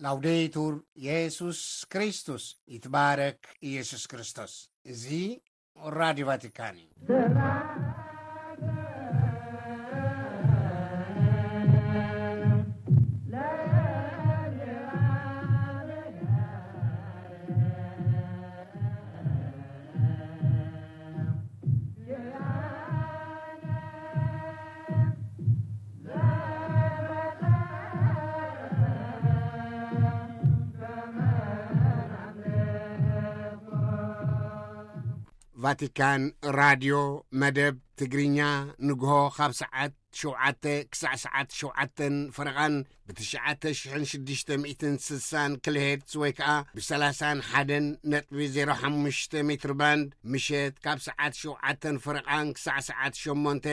ላውዴቱር የሱስ ክርስቶስ፣ ይትባረክ ኢየሱስ ክርስቶስ። እዚ ራዲዮ ቫቲካን እዩ። ቫቲካን ራድዮ መደብ ትግርኛ ንግሆ ካብ ሰዓት ሸውዓተ ክሳዕ ሰዓት ሸውዓተን ፈረቓን ብትሽዓተ ሽሕን ሽዱሽተ ሚእትን ስሳን ኪሎሄርትዝ ወይ ከኣ ብሰላሳን ሓደን ነጥቢ ዜሮ ሓሙሽተ ሜትር ባንድ፣ ምሸት ካብ ሰዓት ሸውዓተን ፈረቓን ክሳዕ ሰዓት ሸሞንተ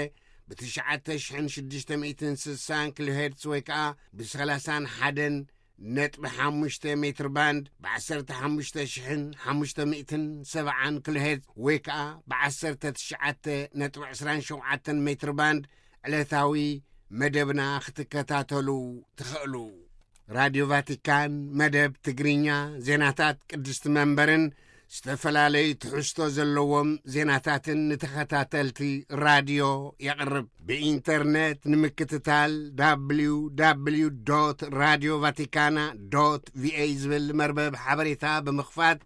ብትሽዓተ ሽሕን ሽዱሽተ ሚእትን ስሳን ኪሎሄርትዝ ወይ ከኣ ብሰላሳን ሓደን ነጥቢ ሓሙሽተ ሜትር ባንድ፣ ብ ዓሰርተ ሓሙሽተ ሽሕን ሓሙሽተ ሚእትን ሰብዓን ኪሎሄርትዝ ወይ ከኣ ብ ዓሰርተ ትሽዓተ ነጥቢ ዕስራን ሸውዓተን ሜትር ባንድ ዕለታዊ መደብና ክትከታተሉ ትኽእሉ። ራድዮ ቫቲካን መደብ ትግርኛ፣ ዜናታት ቅድስቲ መንበርን ዝተፈላለዩ ትሕዝቶ ዘለዎም ዜናታትን ንተኸታተልቲ ራድዮ የቕርብ። ብኢንተርነት ንምክትታል፣ www radio vaticana va ዝብል መርበብ ሓበሬታ ብምኽፋት፣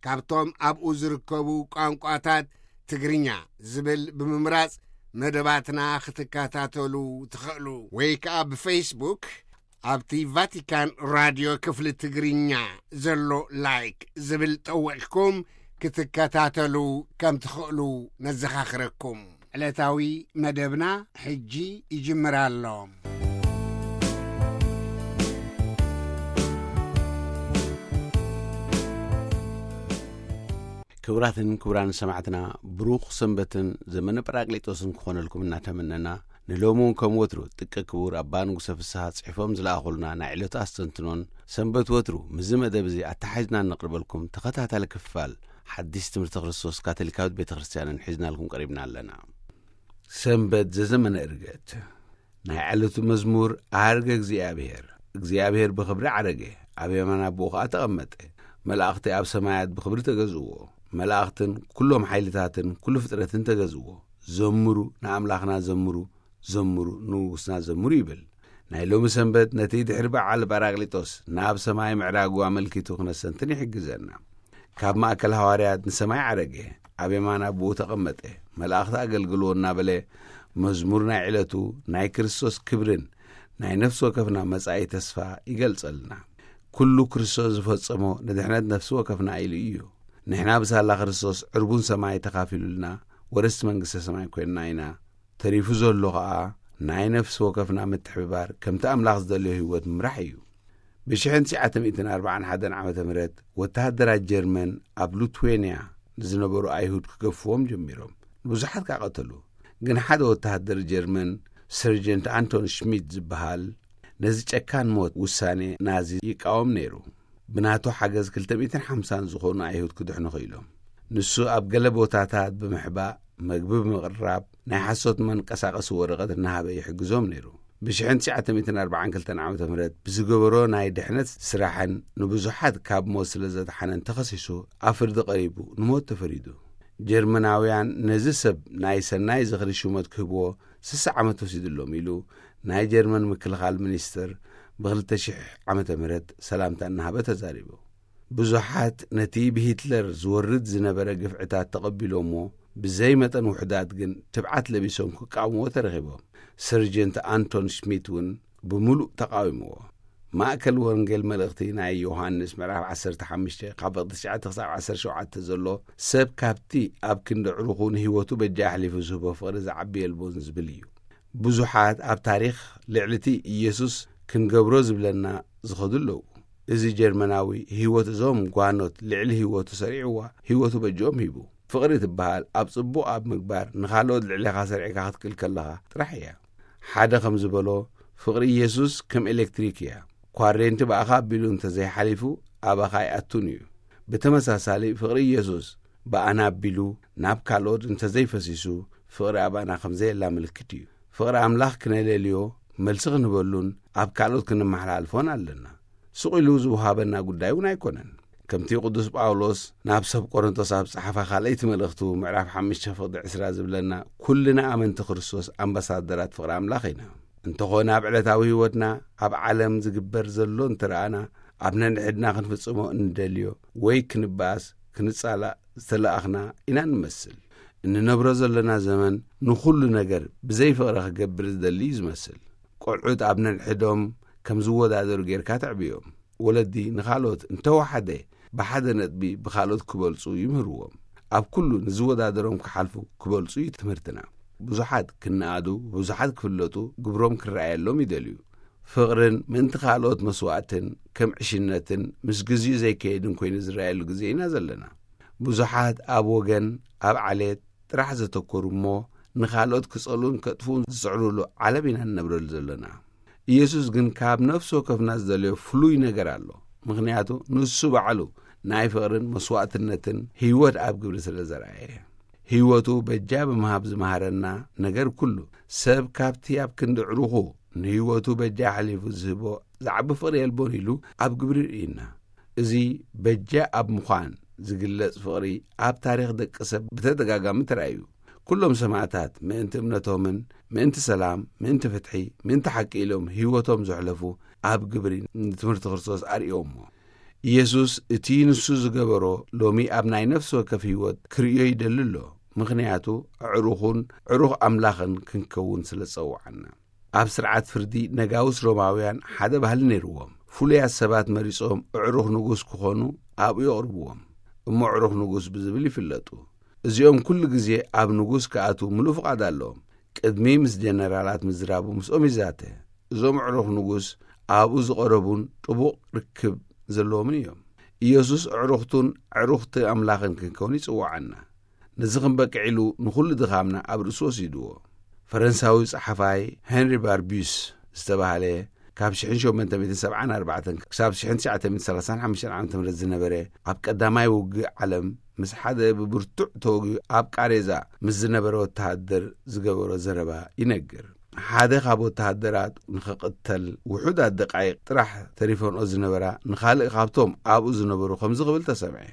ካብቶም ኣብኡ ዝርከቡ ቋንቋታት ትግርኛ ዝብል ብምምራጽ መደባትና ክትከታተሉ ትኽእሉ። ወይ ከኣ ብፌስቡክ ኣብቲ ቫቲካን ራድዮ ክፍሊ ትግርኛ ዘሎ ላይክ ዝብል ጠዊቕኩም ክትከታተሉ ከም ትኽእሉ ነዘኻኽረኩም። ዕለታዊ መደብና ሕጂ ይጅምር ኣሎ። ክቡራትን ክቡራን ሰማዕትና፣ ብሩኽ ሰንበትን ዘመነ ጳራቅሊጦስን ክኾነልኩም እናተመነና፣ ንሎሚ እውን ከም ወትሩ ጥቀ ክቡር ኣባ ንጉሰ ፍስሃ ጽሒፎም ዝለኣኹልና ናይ ዕለቱ ኣስተንትኖን ሰንበት ወትሩ ምስዚ መደብ እዚ ኣተሓሒዝና እነቕርበልኩም ተኸታታሊ ክፋል ሓዲስ ትምህርቲ ክርስቶስ ካቶሊካዊት ቤተ ክርስቲያንን ሒዝናልኩም ቀሪብና ኣለና። ሰንበት ዘዘመነ ዕርገት። ናይ ዕለቱ መዝሙር። ኣርገ እግዚኣብሔር፣ እግዚኣብሔር ብኽብሪ ዓረገ፣ ኣብ የማን ኣቦኡ ኸዓ ተቐመጠ። መላእኽቲ ኣብ ሰማያት ብኽብሪ ተገዝእዎ፣ መላእኽትን ኩሎም ሓይልታትን ኩሉ ፍጥረትን ተገዝእዎ። ዘምሩ፣ ንኣምላኽና ዘምሩ፣ ዘምሩ፣ ንንጉስና ዘምሩ ይብል። ናይ ሎሚ ሰንበት ነቲ ድሕሪ በዓል ጳራቅሊጦስ ናብ ሰማይ ምዕራጉ ኣመልኪቱ ክነስተንትን ይሕግዘና። ካብ ማእከል ሃዋርያት ንሰማይ ዓረገ፣ ኣብ የማን ኣቦኡ ተቐመጠ፣ መላእኽቲ ኣገልግልዎ እናበለ መዝሙር ናይ ዕለቱ ናይ ክርስቶስ ክብርን ናይ ነፍሲ ወከፍና መጻኢ ተስፋ ይገልጸልና። ኩሉ ክርስቶስ ዝፈጸሞ ንድሕነት ነፍሲ ወከፍና ኢሉ እዩ። ንሕና ብሳላ ክርስቶስ ዕርቡን ሰማይ ተኻፊሉልና ወረስቲ መንግስተ ሰማይ ኮይንና ኢና። ተሪፉ ዘሎ ኸኣ ናይ ነፍሲ ወከፍና ምትሕብባር ከምቲ ኣምላኽ ዝደልዮ ህይወት ምምራሕ እዩ። ብሽሕን ትሽዓተ ሚእትን ኣርባዓን ሓደን ዓመተ ምህረት ወተሃደራት ጀርመን ኣብ ሉትዌንያ ንዝነበሩ ኣይሁድ ክገፍዎም ጀሚሮም። ንብዙሓት ከኣ ቀተሉ። ግን ሓደ ወተሃደር ጀርመን ሰርጀንት ኣንቶን ሽሚት ዝበሃል ነዚ ጨካን ሞት ውሳኔ ናዚ ይቃወም ነይሩ። ብናቱ ሓገዝ ክልተ ሚእትን ሓምሳን ዝኾኑ ኣይሁድ ክድሕኑ ኽኢሎም። ንሱ ኣብ ገለ ቦታታት ብምሕባእ፣ መግቢ ብምቕራብ፣ ናይ ሓሶት መንቀሳቐሲ ወረቐት እናሃበ ይሕግዞም ነይሩ። ብሽሕን ትሽዓተ ሚእትን ኣርባዓን ክልተን ዓመተ ምህረት ብዝገበሮ ናይ ድሕነት ስራሕን ንብዙሓት ካብ ሞት ስለ ዘድሓነን ተኸሲሱ ኣብ ፍርዲ ቀሪቡ ንሞት ተፈሪዱ። ጀርመናውያን ነዚ ሰብ ናይ ሰናይ ዝኽሪ ሹመት ክህብዎ ስሳ ዓመት ወሲድሎም ኢሉ ናይ ጀርመን ምክልኻል ሚኒስትር ብክልተ ሽሕ ዓመተ ምህረት ሰላምታ እናሃበ ተዛሪቡ። ብዙሓት ነቲ ብሂትለር ዝወርድ ዝነበረ ግፍዕታት ተቐቢሎምዎ፣ ብዘይ መጠን ውሑዳት ግን ትብዓት ለቢሶም ክቃወምዎ ተረኺቦም። ሰርጀንት ኣንቶን ሽሚት እውን ብምሉእ ተቓዊምዎ። ማእከል ወንጌል መልእኽቲ ናይ ዮሃንስ ምዕራፍ ዓሰርተ ሓሙሽተ ካብ ፍቕዲ ትሽዓተ ክሳብ ዓሰርተ ሸውዓተ ዘሎ፣ ሰብ ካብቲ ኣብ ክንዲ ዕሩኹ ንህይወቱ በጃ ኣሕሊፉ ዝህቦ ፍቕሪ ዝዓቢ የልቦን ዝብል እዩ። ብዙሓት ኣብ ታሪኽ ልዕሊ እቲ ኢየሱስ ክንገብሮ ዝብለና ዝኸዱ ኣለዉ። እዚ ጀርመናዊ ህይወት እዞም ጓኖት ልዕሊ ህይወቱ ሰሪዕዋ፣ ህይወቱ በጅኦም ሂቡ። ፍቕሪ ትበሃል ኣብ ጽቡቕ ኣብ ምግባር ንኻልኦት ልዕሌኻ ሰሪዕካ ክትክእል ከለኻ ጥራሕ እያ። ሓደ ከም ዝበሎ፣ ፍቕሪ ኢየሱስ ከም ኤሌክትሪክ እያ። ኳሬንቲ ብኣኻ ኣቢሉ እንተዘይሓሊፉ፣ ኣባኻ ኣይኣቱን እዩ። ብተመሳሳሊ፣ ፍቕሪ ኢየሱስ ብኣና ኣቢሉ ናብ ካልኦት እንተዘይፈሲሱ፣ ፍቕሪ ኣባና ከም ዘየላ ምልክት እዩ። ፍቕሪ ኣምላኽ ክነለልዮ፣ መልሲ ክንህበሉን ኣብ ካልኦት ክንመሓላልፎን ኣለና። ስቕ ኢሉ ዝውሃበና ጉዳይ እውን ኣይኮነን። ከምቲ ቅዱስ ጳውሎስ ናብ ሰብ ቆሮንቶስ ኣብ ጸሓፋ ካልኣይቲ መልእኽቱ ምዕራፍ ሓሙሽተ ፍቕዲ ዕስራ ዝብለና፣ ኩልና ኣመንቲ ክርስቶስ ኣምባሳደራት ፍቕሪ ኣምላኽ ኢና። እንተኾነ ኣብ ዕለታዊ ህይወትና ኣብ ዓለም ዝግበር ዘሎ እንተረኣና፣ ኣብ ነንሕድና ክንፍጽሞ እንደልዮ ወይ ክንባኣስ ክንጻላእ ዝተለኣኽና ኢና ንመስል። እንነብሮ ዘለና ዘመን ንኹሉ ነገር ብዘይ ፍቕሪ ክገብር ዝደሊ እዩ ዝመስል። ቆልዑት ኣብ ነንሕዶም ከም ዝወዳደሩ ጌርካ ተዕብዮም። ወለዲ ንኻልኦት እንተወሓደ ብሓደ ነጥቢ ብኻልኦት ክበልጹ ይምህርዎም። ኣብ ኩሉ ንዝወዳደሮም ክሓልፉ ክበልጹ እዩ ትምህርትና። ብዙሓት ክነኣዱ፣ ብዙሓት ክፍለጡ፣ ግብሮም ክረኣየሎም ይደልዩ። ፍቕርን ምእንቲ ካልኦት መስዋእትን ከም ዕሽነትን ምስ ግዜኡ ዘይከይድን ኮይኑ ዝረኣየሉ ግዜ ኢና ዘለና። ብዙሓት ኣብ ወገን፣ ኣብ ዓሌት ጥራሕ ዘተኮሩ እሞ ንኻልኦት ክጸልኡን ከጥፍኡን ዝጽዕሩሉ ዓለም ኢና ንነብረሉ ዘለና። ኢየሱስ ግን ካብ ነፍሲ ወከፍና ዝደልዮ ፍሉይ ነገር ኣሎ። ምኽንያቱ ንሱ ባዕሉ ናይ ፍቕርን መስዋእትነትን ህይወት ኣብ ግብሪ ስለ ዘርኣየ። ህይወቱ በጃ ብምሃብ ዝመሃረና ነገር ኩሉ፣ ሰብ ካብቲ ኣብ ክንዲ ዕሩኹ ንህይወቱ በጃ ሓሊፉ ዝህቦ ዝዓቢ ፍቕሪ የልቦን ኢሉ ኣብ ግብሪ ርእይና። እዚ በጃ ኣብ ምዃን ዝግለጽ ፍቕሪ ኣብ ታሪኽ ደቂ ሰብ ብተደጋጋሚ ተራእዩ። ኩሎም ሰማዕታት ምእንቲ እምነቶምን ምእንቲ ሰላም፣ ምእንቲ ፍትሒ፣ ምእንቲ ሓቂ ኢሎም ህይወቶም ዘሕለፉ ኣብ ግብሪ ንትምህርቲ ክርስቶስ ኣርእዮሞ። ኢየሱስ እቲ ንሱ ዝገበሮ ሎሚ ኣብ ናይ ነፍሲ ወከፍ ህይወት ክርእዮ ይደሊ ኣሎ። ምኽንያቱ ኣዕሩኹን ዕሩኽ ኣምላኽን ክንከውን ስለ ዝጸውዓና። ኣብ ስርዓት ፍርዲ ነጋውስ ሮማውያን ሓደ ባህሊ ነይርዎም። ፍሉያት ሰባት መሪጾም ኣዕሩኽ ንጉስ ክኾኑ ኣብኡ የቕርብዎም። እሞ ኣዕሩኽ ንጉስ ብዝብል ይፍለጡ። እዚኦም ኩሉ ግዜ ኣብ ንጉስ ክኣትዉ ምሉእ ፍቓድ ኣለዎም። ቅድሚ ምስ ጀነራላት ምዝራቡ ምስኦም ይዛተ። እዞም ኣዕሩኽ ንጉስ ኣብኡ ዝቐረቡን ጥቡቕ ርክብ ዘለዎምን እዮም። ኢየሱስ ኣዕሩኽቱን ኣዕሩኽቲ ኣምላኽን ክንከውን ይጽውዓና። ነዚ ክንበቅዕ ኢሉ ንኹሉ ድኻምና ኣብ ርእሱ ወሲድዎ። ፈረንሳዊ ጸሓፋይ ሄንሪ ባርቢዩስ ዝተባህለ ካብ ሽሕን ሸሞንተ ሚእትን ሰብዓን ኣርባዕተን ክሳብ ሽሕን ትሽዓተ ሚእትን ሰላሳን ሓሙሽተን ዓመተ ምህረት ዝነበረ፣ ኣብ ቀዳማይ ውግእ ዓለም ምስ ሓደ ብብርቱዕ ተወጊኡ ኣብ ቃሬዛ ምስ ዝነበረ ወተሃደር ዝገበሮ ዘረባ ይነግር። ሓደ ካብ ወተሃደራት ንኸቕተል ውሑዳት ደቃይቕ ጥራሕ ተሪፈንኦ ዝነበራ ንኻልእ ካብቶም ኣብኡ ዝነበሩ ከምዚ ክብል ተሰምዐ።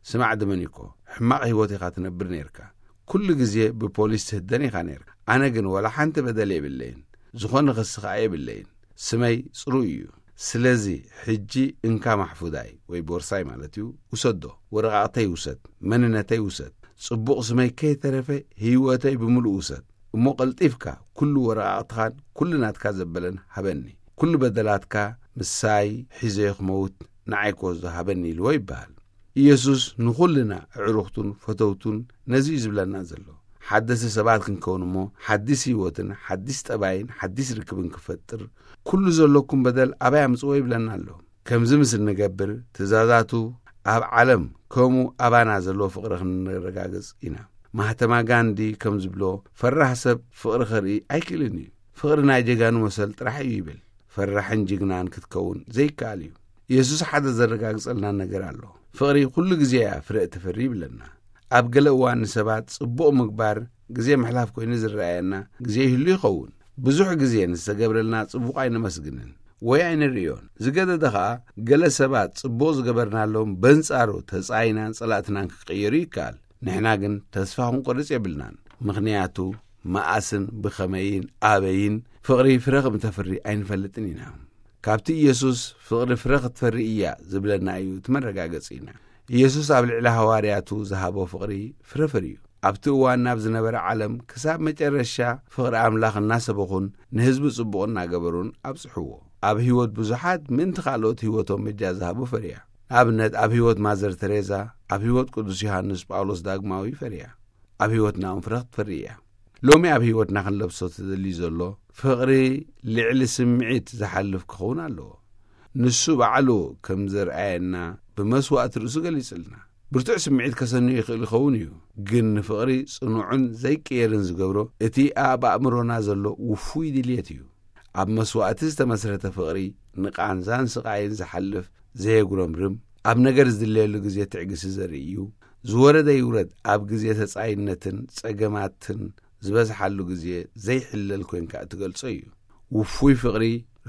ስማዕ ድመኒኮ፣ ሕማቕ ህይወት ኢኻ ትነብር ነይርካ። ኩሉ ግዜ ብፖሊስ ትህደን ኢኻ ነይርካ። ኣነ ግን ወላ ሓንቲ በደል የብለይን። ዝኾነ ክሲ ኸኣ የብለይን። ስመይ ጽሩይ እዩ። ስለዚ ሕጂ እንካ ማሕፉዳይ ወይ ቦርሳይ ማለት እዩ፣ ውሰዶ። ወረቓቕተይ ውሰድ፣ መንነተይ ውሰድ። ጽቡቕ ስመይ ከይተረፈ ህይወተይ ብምሉእ ውሰድ። እሞ ቀልጢፍካ ኩሉ ወረቓቕትኻን ኩሉ ናትካ ዘበለን ሃበኒ። ኩሉ በደላትካ ምሳይ ሒዘዮ ክመውት ንዓይ ክወስዶ ሃበኒ ኢልዎ ይበሃል። ኢየሱስ ንኹልና ኣዕሩኽቱን ፈተውቱን ነዚ እዩ ዝብለና ዘሎ። ሓደስቲ ሰባት ክንከውን እሞ ሓዲስ ህይወትን ሓዲስ ጠባይን ሓዲስ ርክብን ክፈጥር ኩሉ ዘለኩም በደል ኣባይ ኣምጽዎ ይብለና ኣሎ። ከምዚ ምስ እንገብር ትእዛዛቱ ኣብ ዓለም ከምኡ ኣባና ዘለዎ ፍቕሪ ክንረጋግጽ ኢና። ማህተማ ጋንዲ ከም ዝብሎ፣ ፈራህ ሰብ ፍቕሪ ከርኢ ኣይክእልን እዩ። ፍቕሪ ናይ ጀጋኑ መሰል ጥራሕ እዩ ይብል። ፈራሕን ጅግናን ክትከውን ዘይከኣል እዩ። ኢየሱስ ሓደ ዘረጋግጸልና ነገር ኣሎ። ፍቕሪ ኩሉ ግዜ እያ ፍረ እትፈሪ ይብለና። ኣብ ገለ እዋን ንሰባት ጽቡቕ ምግባር ግዜ ምሕላፍ ኮይኑ ዝረኣየና ግዜ ይህሉ ይኸውን። ብዙሕ ግዜ ንዝተገብረልና ጽቡቕ ኣይነመስግንን ወይ ኣይንርእዮን። ዝገደደ ኸኣ ገለ ሰባት ጽቡቕ ዝገበርናሎም በንጻሩ ተጻይናን ጸላእትናን ክቐየሩ ይከኣል። ንሕና ግን ተስፋ ክንቆርጽ የብልናን። ምኽንያቱ መኣስን ብኸመይን ኣበይን ፍቕሪ ፍረ ከም ተፍሪ ኣይንፈልጥን ኢና። ካብቲ ኢየሱስ ፍቕሪ ፍረ ክትፈሪ እያ ዝብለና እዩ እቲ መረጋገጺና። ኢየሱስ ኣብ ልዕሊ ሃዋርያቱ ዝሃቦ ፍቕሪ ፍረ ፈርዩ። ኣብቲ እዋን ናብ ዝነበረ ዓለም ክሳብ መጨረሻ ፍቕሪ ኣምላኽ እናሰበኹን ንህዝቢ ጽቡቕ እናገበሩን ኣብጽሕዎ። ኣብ ህይወት ብዙሓት ምእንቲ ካልኦት ህይወቶም በጃ ዝሃቡ ፈርያ። ንኣብነት ኣብ ህይወት ማዘር ተሬዛ፣ ኣብ ህይወት ቅዱስ ዮሃንስ ጳውሎስ ዳግማዊ ፈርያ። ኣብ ህይወትና እውን ፍረ ክትፈሪ እያ። ሎሚ ኣብ ህይወትና ክንለብሶ ተደልዩ ዘሎ ፍቕሪ ልዕሊ ስምዒት ዝሓልፍ ክኸውን ኣለዎ። ንሱ ባዕሉ ከም ዘርኣየና ብመስዋእቲ ርእሱ ገሊጽልና። ብርቱዕ ስምዒት ከሰንዮ ይኽእል ይኸውን እዩ፣ ግን ንፍቕሪ ጽኑዕን ዘይቅየርን ዝገብሮ እቲ ኣብ ኣእምሮና ዘሎ ውፉይ ድልየት እዩ። ኣብ መስዋእቲ ዝተመስረተ ፍቕሪ ንቃንዛን ስቓይን ዝሓልፍ፣ ዘየጉረምርም፣ ኣብ ነገር ዝድለየሉ ግዜ ትዕግስቲ ዘርኢ እዩ። ዝወረደ ይውረድ ኣብ ግዜ ተጻይነትን ጸገማትን ዝበዝሓሉ ግዜ ዘይሕለል ኮይንካ እትገልጾ እዩ። ውፉይ ፍቕሪ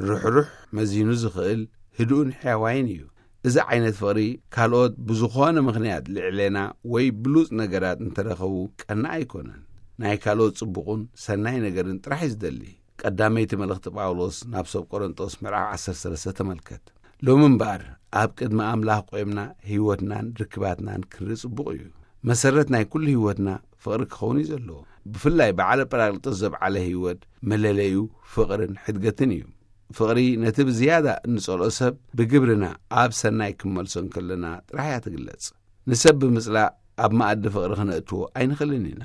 ርሕሩሕ፣ መዚኑ ዝኽእል፣ ህዱእን ሕያዋይን እዩ። እዚ ዓይነት ፍቕሪ ካልኦት ብዝኾነ ምኽንያት ልዕሌና ወይ ብሉጽ ነገራት እንተረኸቡ ቀና ኣይኮነን። ናይ ካልኦት ጽቡቕን ሰናይ ነገርን ጥራሕ እዩ ዝደሊ። ቀዳመይቲ መልእኽቲ ጳውሎስ ናብ ሰብ ቆሮንጦስ ምዕራፍ ዓሰርተ ሰለስተ ተመልከት። ሎሚ እምበኣር ኣብ ቅድሚ ኣምላኽ ቆይምና ህይወትናን ርክባትናን ክንርኢ ጽቡቕ እዩ። መሰረት ናይ ኩሉ ህይወትና ፍቕሪ ክኸውን እዩ ዘለዎ። ብፍላይ ብዓለ ጳራቅሊጦስ ዘብዓለ ህይወት መለለዩ ፍቕርን ሕድገትን እዩ። ፍቕሪ ነቲ ብዝያዳ እንጸልኦ ሰብ ብግብርና ኣብ ሰናይ ክንመልሶ እንከለና ጥራሕ እያ ትግለጽ። ንሰብ ብምጽላእ ኣብ መኣዲ ፍቕሪ ክነእትዎ ኣይንኽእልን ኢና።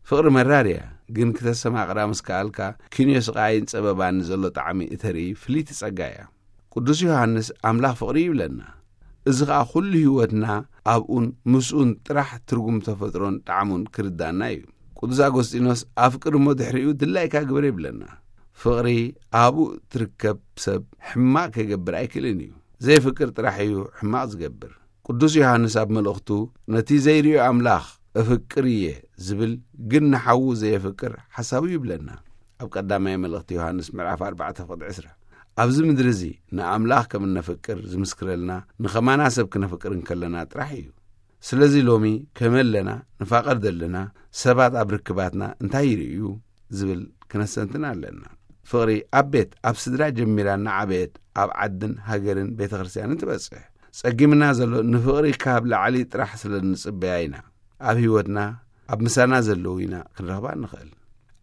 ፍቕሪ መራር እያ፣ ግን ክተሰማቕራ ምስ ከኣልካ፣ ኪንዮ ስቓይን ጸበባን ንዘሎ ጣዕሚ እተርኢ ፍልይቲ ጸጋ እያ። ቅዱስ ዮሃንስ ኣምላኽ ፍቕሪ ይብለና። እዚ ኸኣ ኩሉ ህይወትና ኣብኡን ምስኡን ጥራሕ ትርጉም ተፈጥሮን ጣዕሙን ክርዳና እዩ። ቅዱስ ኣጎስጢኖስ ኣፍቅር እሞ ድሕሪኡ ድላይካ ግበር ይብለና። ፍቕሪ ኣብኡ ትርከብ ሰብ ሕማቕ ከይገብር ኣይክእልን እዩ። ዘይፍቅር ጥራሕ እዩ ሕማቕ ዝገብር። ቅዱስ ዮሃንስ ኣብ መልእኽቱ ነቲ ዘይርእዮ ኣምላኽ እፍቅር እየ ዝብል ግን ንሓዉ ዘየፍቅር ሓሳዊ ይብለና። ኣብ ቀዳማይ መልእኽቲ ዮሃንስ ምዕራፍ ኣርባዕተ ፍቕዲ ዕስራ። ኣብዚ ምድሪ እዚ ንኣምላኽ ከም እነፍቅር ዝምስክረልና ንኸማና ሰብ ክነፍቅር እንከለና ጥራሕ እዩ። ስለዚ ሎሚ ከመይ ኣለና፣ ንፋቐር ዘለና ሰባት ኣብ ርክባትና እንታይ ይርእዩ ዝብል ክነስተንትን ኣለና። ፍቕሪ ኣብ ቤት፣ ኣብ ስድራ ጀሚራ እናዓበየት ኣብ ዓድን ሃገርን ቤተ ክርስቲያንን ትበጽሕ። ጸጊምና ዘሎ ንፍቕሪ ካብ ላዕሊ ጥራሕ ስለ እንጽበያ ኢና። ኣብ ህይወትና ኣብ ምሳና ዘለዉ ኢና ክንረኽባ እንኽእል።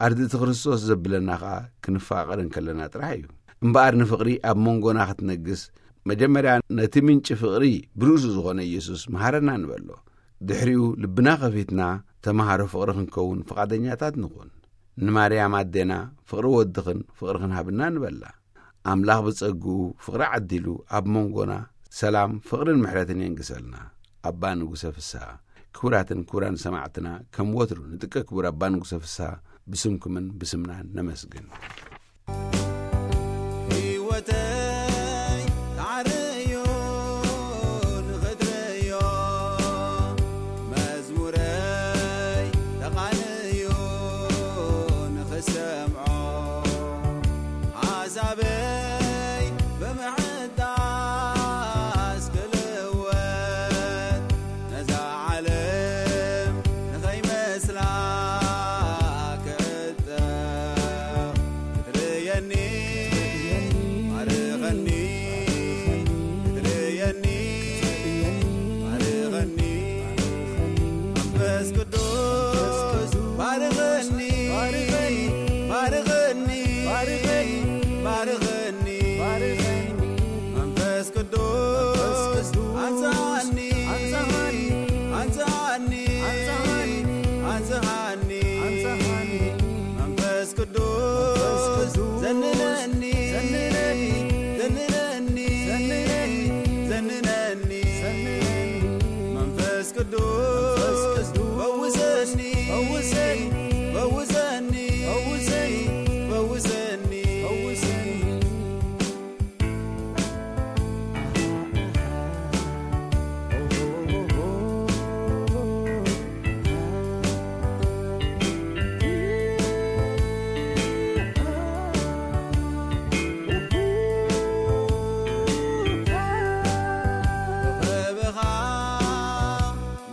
ኣርድእቲ ክርስቶስ ዘብለና ኸኣ ክንፋቐር እንከለና ጥራሕ እዩ። እምበኣር ንፍቕሪ ኣብ መንጎና ክትነግስ መጀመርያ ነቲ ምንጪ ፍቕሪ ብርእሱ ዝኾነ ኢየሱስ መሃረና ንበሎ። ድሕሪኡ ልብና ከፊትና ተማሃሮ ፍቕሪ ክንከውን ፍቓደኛታት ንኹን። ንማርያም ኣዴና ፍቕሪ ወድኽን ፍቕርኽን ሃብና ንበላ። ኣምላኽ ብጸግኡ ፍቕሪ ዓዲሉ ኣብ መንጎና ሰላም፣ ፍቕርን ምሕረትን የንግሰልና። ኣባ ንጉሰ ፍስሃ። ክቡራትን ክቡራን ሰማዕትና፣ ከም ወትሩ ንጥቀ ክቡር ኣባ ንጉሰ ፍስሃ ብስምኩምን ብስምናን ነመስግን። ህይወተይ ተዓረዮ ንኽትርእዮ፣ መዝሙረይ ተቓንዮ ንኽሰምዖ፣ ሓሳበይ ብምሕዳስ ክልወጥ፣ ነዛ ዓለም ንኸይመስላ ክዕጠቕ፣ ክትርእየኒ ባርኸኒ፣ ክትርእየኒ ባርኸኒ፣ መንፈስ ቅዱስ ባርኸኒ፣ ባርኸኒ፣ ባርኸኒ፣ ባርኸኒ፣ መንፈስ ቅዱስ ኣንጽሃኒ፣ ኣንጽሃኒ፣ ኣንጽሃኒ፣ ኣንጽሃኒ፣ ኣንጽሃኒ፣ መንፈስ ቅዱስ ዘንነኒ፣ ዘንነኒ፣ ዘንነኒ፣ ዘንነኒ፣ መንፈስ ቅዱስ ፈውሰኒ፣ ፈውሰኒ፣ ፈውሰኒ፣ ፈውሰኒ፣ ፈውሰኒ።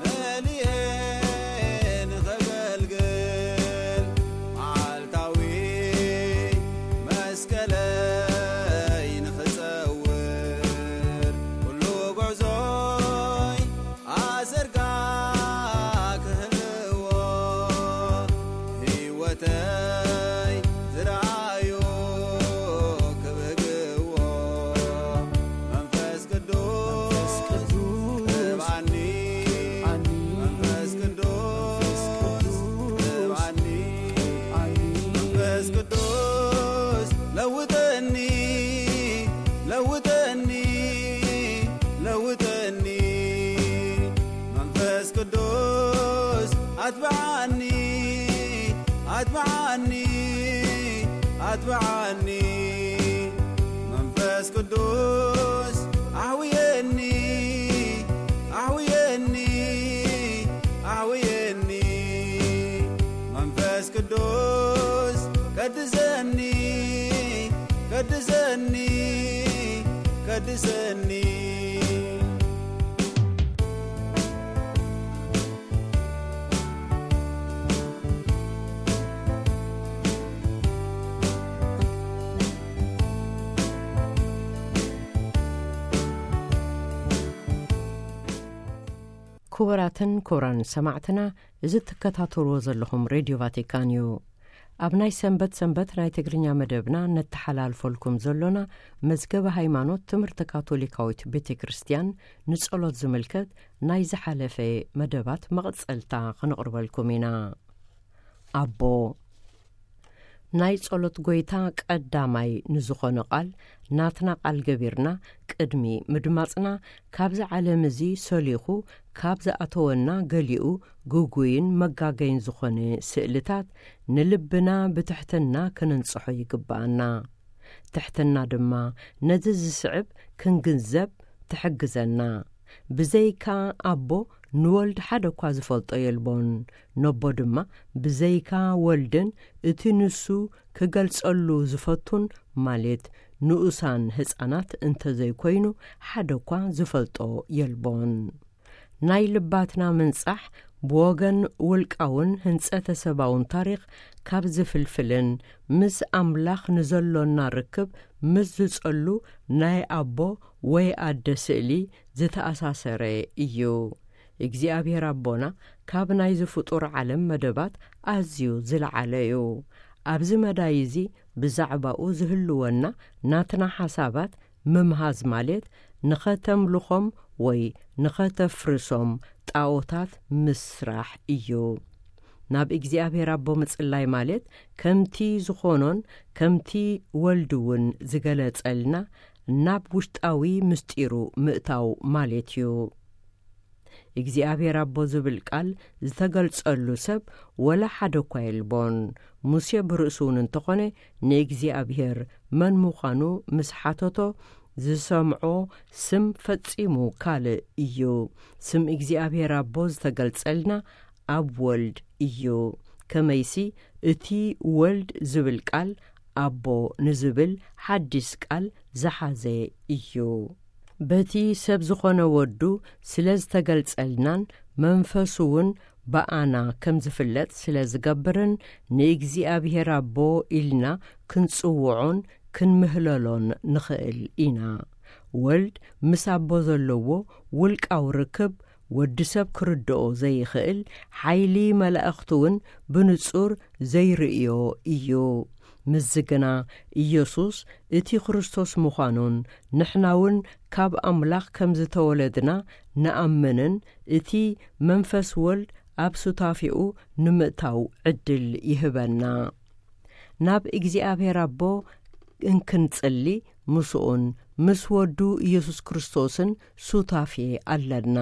መሊኤ ንኸገልግል፣ መዓልታዊ መስቀለይ ንኽጸውር፣ ኩሉ ጉዕዞይ ኣሰርካ ክህልዎ፣ ህይወተይ ዝረኣዩ ክብህግዎ፣ መንፈስ ቅዱስ ቅብኣኒ፣ መንፈስ ቅዱስ ቅብኣኒ፣ መንፈስ ቅዱስ ለውጠኒ፣ ለውጠኒ፣ ለውጠኒ፣ መንፈስ ቅዱስ ኣትብዓኒ፣ ኣትብዓኒ፣ ኣትብዓኒ፣ መንፈስ ቅዱስ ኣሕውየኒ፣ ኣሕውየኒ፣ ኣሕውየኒ፣ መንፈስ ቅዱስ ቀድሰኒ፣ ቀድሰኒ፣ ቀድሰኒ። ዘኒ። ክቡራትን ክቡራን ሰማዕትና፣ እዚ ትከታተልዎ ዘለኹም ሬድዮ ቫቲካን እዩ። ኣብ ናይ ሰንበት ሰንበት ናይ ትግርኛ መደብና ነተሓላልፈልኩም ዘሎና መዝገበ ሃይማኖት ትምህርቲ ካቶሊካዊት ቤተ ክርስቲያን ንጸሎት ዝምልከት ናይ ዝሓለፈ መደባት መቐጸልታ ክነቕርበልኩም ኢና። ኣቦ፣ ናይ ጸሎት ጐይታ ቀዳማይ ንዝኾነ ቃል ናትና ቃል ገቢርና ቅድሚ ምድማጽና፣ ካብዚ ዓለም እዚ ሰሊኹ ካብ ዝኣተወና ገሊኡ ግጉይን መጋገይን ዝኾነ ስእልታት ንልብና ብትሕትና ክንንጽሖ ይግብኣና። ትሕትና ድማ ነዚ ዝስዕብ ክንግንዘብ ትሕግዘና። ብዘይካ ኣቦ ንወልድ ሓደ እኳ ዝፈልጦ የልቦን። ነቦ ድማ ብዘይካ ወልድን እቲ ንሱ ክገልጸሉ ዝፈቱን፣ ማለት ንኡሳን ህጻናት እንተዘይኮይኑ፣ ሓደ እኳ ዝፈልጦ የልቦን። ናይ ልባትና ምንጻሕ ብወገን ውልቃውን ህንጸተ ሰባውን ታሪኽ ካብ ዝፍልፍልን ምስ ኣምላኽ ንዘሎና ርክብ ምስ ዝጸሉ ናይ ኣቦ ወይ ኣደ ስእሊ ዝተኣሳሰረ እዩ። እግዚኣብሔር ኣቦና ካብ ናይዚ ፍጡር ዓለም መደባት ኣዝዩ ዝለዓለ እዩ። ኣብዚ መዳይ እዚ ብዛዕባኡ ዝህልወና ናትና ሓሳባት ምምሃዝ ማለት ንኸተምልኾም ወይ ንኸተፍርሶም ጣኦታት ምስራሕ እዩ። ናብ እግዚኣብሔር ኣቦ ምጽላይ ማለት ከምቲ ዝኾኖን ከምቲ ወልድ እውን ዝገለጸልና ናብ ውሽጣዊ ምስጢሩ ምእታው ማለት እዩ። እግዚኣብሔር ኣቦ ዝብል ቃል ዝተገልጸሉ ሰብ ወላ ሓደ እኳ የልቦን። ሙሴ ብርእሱ እውን እንተኾነ ንእግዚኣብሔር መን ምዃኑ ምስ ሓተቶ ዝሰምዖ ስም ፈጺሙ ካልእ እዩ። ስም እግዚኣብሔር ኣቦ ዝተገልጸልና ኣብ ወልድ እዩ። ከመይሲ እቲ ወልድ ዝብል ቃል ኣቦ ንዝብል ሓዲስ ቃል ዝሓዘ እዩ። በቲ ሰብ ዝኾነ ወዱ ስለ ዝተገልጸልናን መንፈሱ እውን ብኣና ከም ዝፍለጥ ስለ ዝገብርን ንእግዚኣብሔር ኣቦ ኢልና ክንጽውዖን ክንምህለሎን ንኽእል ኢና። ወልድ ምስ ኣቦ ዘለዎ ውልቃዊ ርክብ ወዲ ሰብ ክርድኦ ዘይኽእል ሓይሊ መላእኽቲ እውን ብንጹር ዘይርእዮ እዩ። ምስዚ ግና ኢየሱስ እቲ ክርስቶስ ምዃኑን ንሕና እውን ካብ ኣምላኽ ከም ዝተወለድና ንኣምንን እቲ መንፈስ ወልድ ኣብ ሱታፌኡ ንምእታው ዕድል ይህበና። ናብ እግዚኣብሔር ኣቦ እንክንጽሊ ምስኡን ምስ ወዱ ኢየሱስ ክርስቶስን ሱታፌ ኣለና።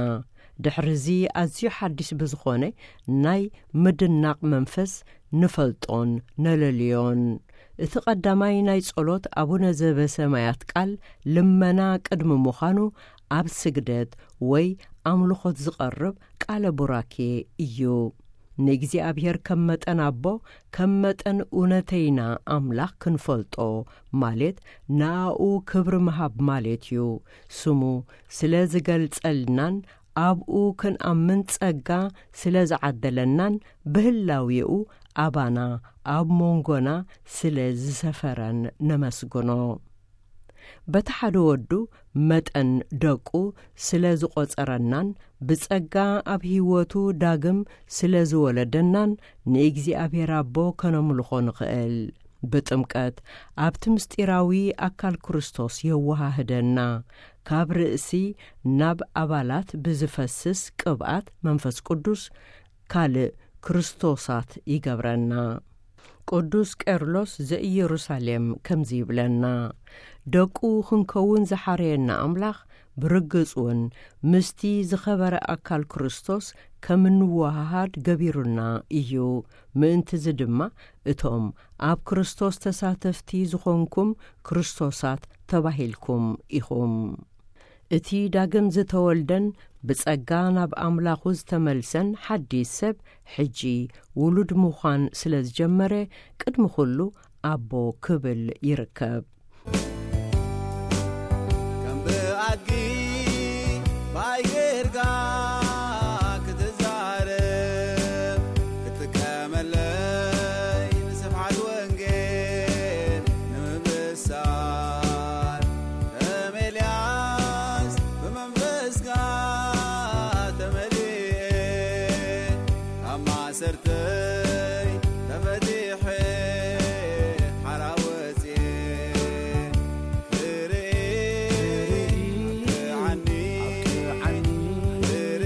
ድሕርዚ ኣዝዩ ሓዲስ ብዝኾነ ናይ ምድናቕ መንፈስ ንፈልጦን ነለልዮን። እቲ ቀዳማይ ናይ ጸሎት ኣቡነ ዘበሰማያት ቃል ልመና ቅድሚ ምዃኑ ኣብ ስግደት ወይ ኣምልኾት ዝቐርብ ቃለ ቡራኬ እዩ። ንእግዚኣብሔር ከም መጠን ኣቦ፣ ከም መጠን እውነተይና ኣምላኽ ክንፈልጦ ማለት ንኣኡ ክብሪ ምሃብ ማለት እዩ። ስሙ ስለ ዝገልጸልናን ኣብኡ ክንኣምን ጸጋ ስለ ዝዓደለናን ብህላዌኡ ኣባና ኣብ መንጎና ስለ ዝሰፈረን ነመስግኖ። በቲ ሓደ ወዱ መጠን ደቁ ስለ ዝቖጸረናን ብጸጋ ኣብ ህይወቱ ዳግም ስለ ዝወለደናን ንእግዚኣብሔር ኣቦ ከነምልኾ ንኽእል። ብጥምቀት ኣብቲ ምስጢራዊ ኣካል ክርስቶስ የወሃህደና። ካብ ርእሲ ናብ ኣባላት ብዝፈስስ ቅብኣት መንፈስ ቅዱስ ካልእ ክርስቶሳት ይገብረና። ቅዱስ ቄርሎስ ዘኢየሩሳሌም ከምዚ ይብለና፣ ደቁ ክንከውን ዝሓረየና ኣምላኽ ብርግጽ እውን ምስቲ ዝኸበረ ኣካል ክርስቶስ ከም እንወሃሃድ ገቢሩና እዩ። ምእንትዚ ድማ እቶም ኣብ ክርስቶስ ተሳተፍቲ ዝኾንኩም ክርስቶሳት ተባሂልኩም ኢኹም። እቲ ዳግም ዝተወልደን ብጸጋ ናብ ኣምላኹ ዝተመልሰን ሓዲስ ሰብ ሕጂ ውሉድ ምዃን ስለ ዝጀመረ ቅድሚ ኩሉ ኣቦ ክብል ይርከብ። ኣድጊ ብኣይ ጌርካ ክትዛረብ፣ ክትጥቀመለይ ንስብሓት ወንጌል ንምብሳር፣ ከም ኤልያስ ብመንፈስካ ተመሊኤ፣ ካብ ማእሰርተይ ተፈቲሐ ሓራ ወፅየ። ክርኢ ኣብቅዓኒ፣ ክርኢ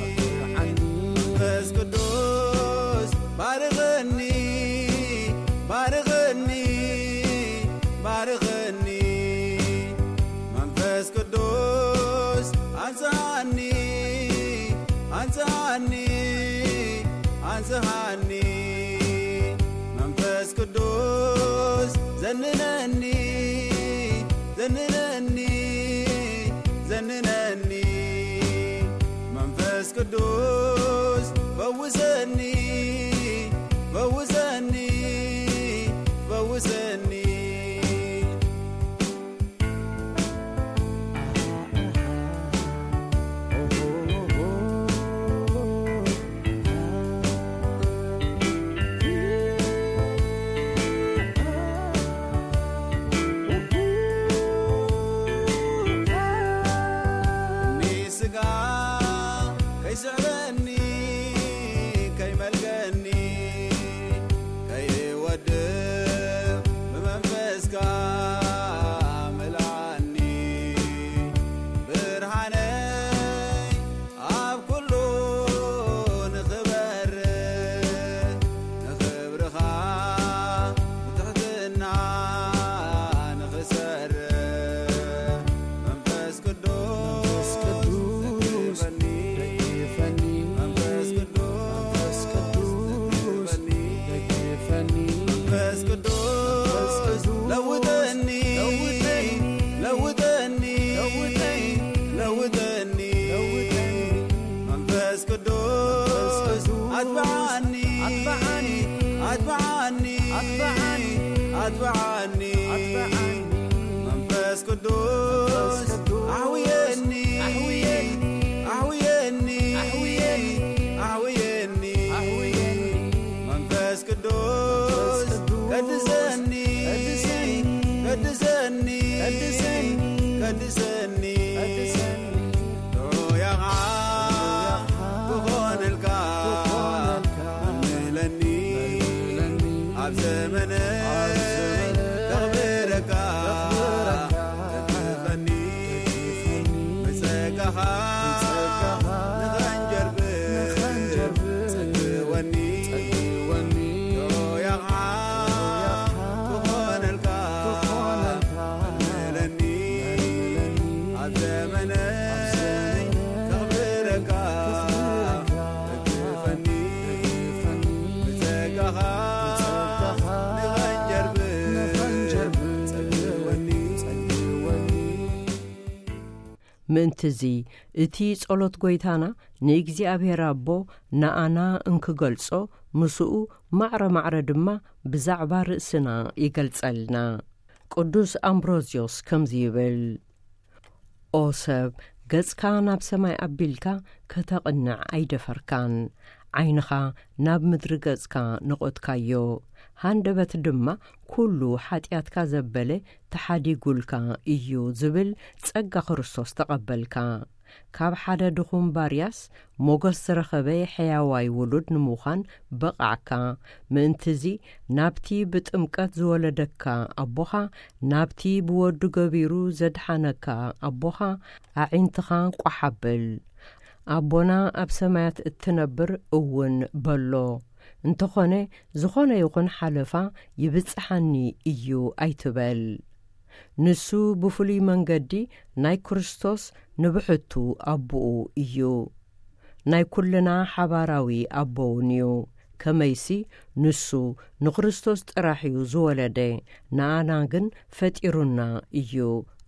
ኣብቅዓኒ። መንፈስ ቅዱስ ባርኸኒ፣ ባርኸኒ፣ ባርኸኒ። መንፈስ ቅዱስ ኣንጽሃኒ፣ ኣንጽሃኒ፣ ኣንጽሃኒ። መንፈስ ቅዱስ ዘንነኒ፣ ዘንነኒ፣ ዘንነኒ። መንፈስ ቅዱስ ፈውሰኒ፣ ፈውሰኒ፣ ፈውሰኒ። እኒ ስጋ ከይስዕበኒ፣ ከይመልገኒ፣ ከይወድቕ ብመንፈስካ ምልኣኒ። ብርሃነይ ኣብ ኩሉ ንኽበርህ፣ ንኽብርኻ ብትሕትና ንኽሰርህ፣ መንፈስ ቅዱስ መንፈስ ቅዱስ ደግፈኒ። ደግፈኒ። መንፈስ ቅዱስ መንፈስ ቅዱስ ደግፈኒ። ደግፈኒ። መንፈስ ቅዱስ መንፈስ ቅዱስ ለውጠኒ። ለውጠኒ። ለውጠኒ። ለውጠኒ። ለውጠኒ። ለውጠኒ። መንፈስ ቅዱስ መንፈስ ቅዱስ ኣትብዓኒ። ኣትብዓኒ። ኣትብዓኒ። ኣትብዓኒ። ኣትብዓኒ። ኣትብዓኒ። መንፈስ ቅዱስ ኣሕውየኒ፣ ኣሕውየኒ፣ ኣሕውየኒ፣ ኣሕውየኒ። መንፈስ ቅዱስ ቀድሰኒ፣ ቀድሰኒ፣ ቀድሰኒ፣ ቀድሰኒ። ሮያኻ ክኾነልካ፣ መልምለኒ፣ ኣብ ዘመነይ ከኽብረካ፣ ደግፈኒ፣ ብጸጋኻ ንኸንጀርብር፣ ጸግወኒ፣ ሮያኻ ክኾነልካ፣ መልምለኒ፣ ኣብ ዘመነይ ከኽብረካ፣ ደግፈኒ፣ ብጸጋኻ ንኸንጀርብር፣ ጸግወኒ። ምእንትዚ፣ እቲ ጸሎት ጐይታና ንእግዚኣብሔር ኣቦ ንኣና እንክገልጾ፣ ምስኡ ማዕረ ማዕረ ድማ ብዛዕባ ርእስና ይገልጸልና። ቅዱስ ኣምብሮዝዮስ ከምዚ ይብል፣ ኦ ሰብ፣ ገጽካ ናብ ሰማይ ኣቢልካ ከተቕንዕ ኣይደፈርካን። ዓይንኻ ናብ ምድሪ ገጽካ ነቖትካዮ። ሃንደበት ድማ ኩሉ ሓጢኣትካ ዘበለ ተሓዲጉልካ እዩ ዝብል ጸጋ ክርስቶስ ተቐበልካ። ካብ ሓደ ድኹም ባርያስ ሞገስ ዝረኸበ ሕያዋይ ውሉድ ንምዃን በቓዕካ። ምእንትዚ ናብቲ ብጥምቀት ዝወለደካ ኣቦኻ፣ ናብቲ ብወዱ ገቢሩ ዘድሓነካ ኣቦኻ ኣዒንትኻ ቋሕ ኣብል። ኣቦና ኣብ ሰማያት እትነብር እውን በሎ። እንተኾነ፣ ዝኾነ ይኹን ሓለፋ ይብጽሓኒ እዩ ኣይትበል። ንሱ ብፍሉይ መንገዲ ናይ ክርስቶስ ንብሕቱ ኣቦኡ እዩ። ናይ ኩልና ሓባራዊ ኣቦ እውን እዩ። ከመይሲ ንሱ ንክርስቶስ ጥራሕ እዩ ዝወለደ፣ ንኣና ግን ፈጢሩና እዩ።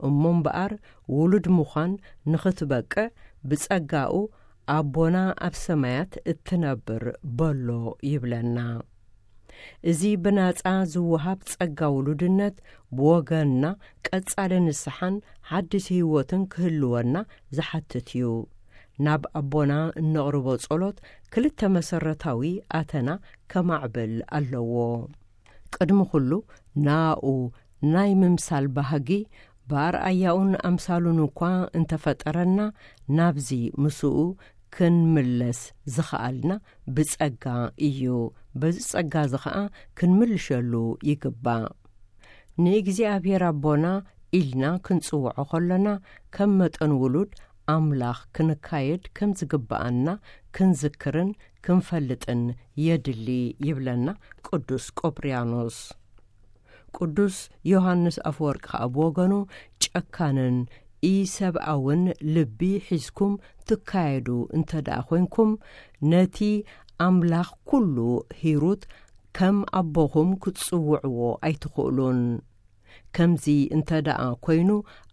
እሞ እምበኣር ውሉድ ምዃን ንኽትበቅዕ ብጸጋኡ ኣቦና ኣብ ሰማያት እትነብር በሎ ይብለና። እዚ ብናጻ ዝወሃብ ጸጋ ውሉድነት ብወገንና ቀጻሊ ንስሓን ሓድሽ ህይወትን ክህልወና ዝሓትት እዩ። ናብ ኣቦና እነቕርቦ ጸሎት ክልተ መሰረታዊ ኣተና ከማዕብል ኣለዎ። ቅድሚ ኩሉ፣ ናኡ ናይ ምምሳል ባህጊ፣ ብኣርኣያኡን ኣምሳሉን እኳ እንተፈጠረና፣ ናብዚ ምስኡ ክንምለስ ዝኸኣልና ብጸጋ እዩ። በዚ ጸጋ እዚ ኸኣ ክንምልሸሉ ይግባእ። ንእግዚኣብሔር ኣቦና ኢልና ክንጽውዖ ከሎና፣ ከም መጠን ውሉድ ኣምላኽ ክንካየድ ከም ዝግብኣና ክንዝክርን ክንፈልጥን የድሊ ይብለና ቅዱስ ቆጵርያኖስ። ቅዱስ ዮሃንስ ኣፈወርቂ ኸኣ ብወገኑ፣ ጨካንን ኢሰብኣውን ልቢ ሒዝኩም ትካየዱ እንተ ደኣ ኾይንኩም፣ ነቲ ኣምላኽ ኩሉ ሂሩት ከም ኣቦኹም ክትጽውዕዎ ኣይትኽእሉን። ከምዚ እንተ ደኣ ኮይኑ፣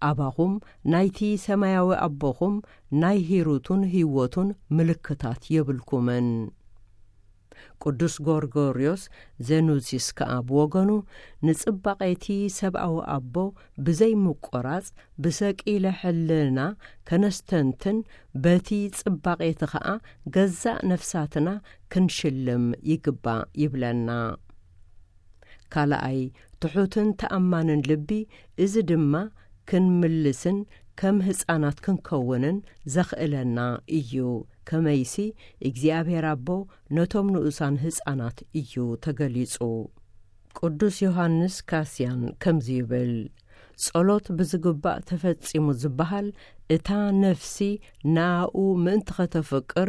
ኣባኹም ናይቲ ሰማያዊ ኣቦኹም ናይ ሂሩቱን ህይወቱን ምልክታት የብልኩምን። ቅዱስ ጎርጎርዮስ ዘኑሲስ ከኣ ብወገኑ፣ ንጽባቐ እቲ ሰብኣዊ ኣቦ ብዘይምቁራጽ ብሰቂለ ሕልና ከነስተንትን፣ በቲ ጽባቐ እቲ ኸኣ ገዛእ ነፍሳትና ክንሽልም ይግባእ ይብለና። ካልኣይ፣ ትሑትን ተኣማንን ልቢ፣ እዚ ድማ ክንምልስን ከም ህጻናት ክንከውንን ዘኽእለና እዩ። ከመይሲ እግዚኣብሔር ኣቦ ነቶም ንኡሳን ህጻናት እዩ ተገሊጹ። ቅዱስ ዮሃንስ ካስያን ከምዚ ይብል፣ ጸሎት ብዝግባእ ተፈጺሙ ዝበሃል፣ እታ ነፍሲ ንኣኡ ምእንቲ ኸተፍቅር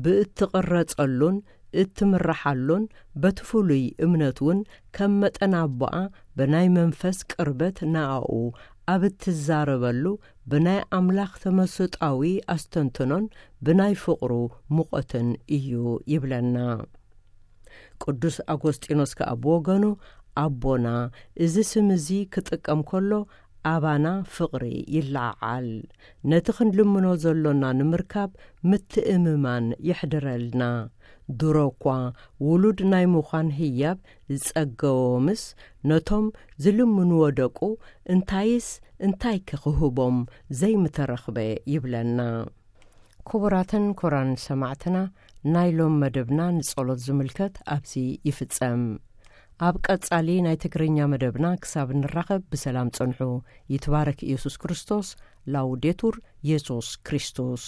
ብእትቕረጸሉን እትምርሓሉን፣ በቲ ፍሉይ እምነት እውን ከም መጠን ኣቦኣ ብናይ መንፈስ ቅርበት ንኣኡ ኣብ እትዛረበሉ፣ ብናይ ኣምላኽ ተመስጣዊ ኣስተንትኖን ብናይ ፍቕሩ ሙቐትን እዩ ይብለና። ቅዱስ ኣጎስጢኖስ ከኣ ብወገኑ፣ ኣቦና፣ እዚ ስም እዚ ክጥቀም ከሎ ኣባና ፍቕሪ ይለዓዓል። ነቲ ክንልምኖ ዘሎና ንምርካብ ምትእምማን የሕድረልና። ድሮ እኳ ውሉድ ናይ ምዃን ህያብ ዝጸገቦምስ፣ ነቶም ዝልምንዎ ደቁ እንታይስ እንታይከ ክህቦም ዘይምተረኽበ ይብለና። ክቡራትን ክቡራን ሰማዕትና፣ ናይ ሎም መደብና ንጸሎት ዝምልከት ኣብዚ ይፍጸም። ኣብ ቀጻሊ ናይ ትግርኛ መደብና ክሳብ ንራኸብ ብሰላም ጽንሑ። ይትባረክ ኢየሱስ ክርስቶስ። ላውዴቱር ኢየሱስ ክርስቶስ።